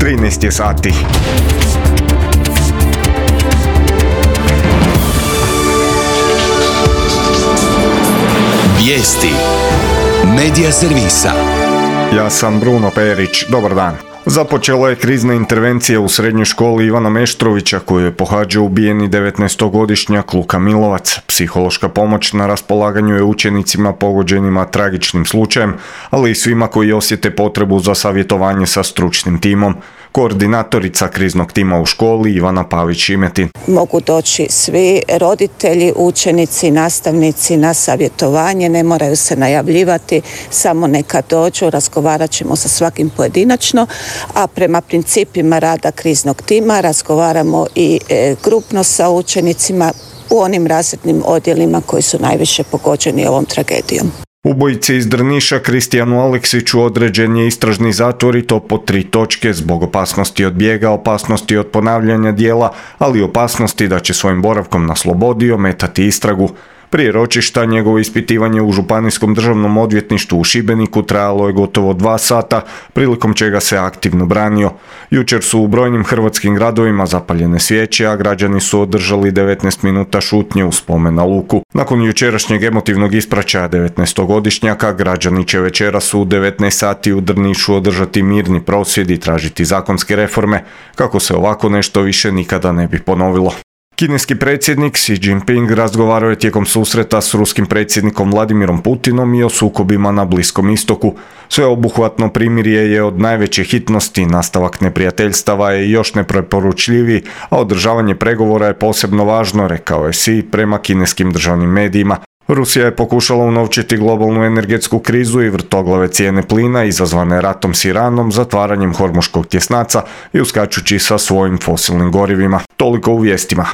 13 je sati. Vijesti Medija servisa. Ja sam Bruno Perić, dobar dan. Započela je krizna intervencija u srednjoj školi Ivana Meštrovića koju je pohađao ubijeni 19-godišnjak Luka Milovac. Psihološka pomoć na raspolaganju je učenicima pogođenima tragičnim slučajem, ali i svima koji osjete potrebu za savjetovanje sa stručnim timom. Koordinatorica kriznog tima u školi Ivana Pavić-Šimetin. Mogu doći svi roditelji, učenici, nastavnici na savjetovanje, ne moraju se najavljivati, samo neka dođu, razgovarat ćemo sa svakim pojedinačno, a prema principima rada kriznog tima razgovaramo i grupno sa učenicima u onim razrednim odjelima koji su najviše pogođeni ovom tragedijom. Ubojici iz Drniša Kristijanu Aleksiću određen je istražni zatvor i to po 3 točke zbog opasnosti od bijega, opasnosti od ponavljanja djela, ali i opasnosti da će svojim boravkom na slobodi ometati istragu. Prije ročišta njegovo ispitivanje u Županijskom državnom odvjetništvu u Šibeniku trajalo je gotovo 2 sata, prilikom čega se aktivno branio. Jučer su u brojnim hrvatskim gradovima zapaljene svijeće, a građani su održali 19 minuta šutnje u spomen na Luku. Nakon jučerašnjeg emotivnog ispraćaja 19-godišnjaka, građani će večeras u 19 sati u Drnišu održati mirni prosvjed i tražiti zakonske reforme, kako se ovako nešto više nikada ne bi ponovilo. Kineski predsjednik Xi Jinping razgovarao je tijekom susreta s ruskim predsjednikom Vladimirom Putinom i o sukobima na Bliskom istoku. Sveobuhvatno primirje je od najveće hitnosti, nastavak neprijateljstava je još nepreporučljiviji, a održavanje pregovora je posebno važno, rekao je Xi prema kineskim državnim medijima. Rusija je pokušala unovčiti globalnu energetsku krizu i vrtoglave cijene plina izazvane ratom s Iranom, zatvaranjem Hormuškog tjesnaca i uskačući sa svojim fosilnim gorivima. Toliko u vijestima.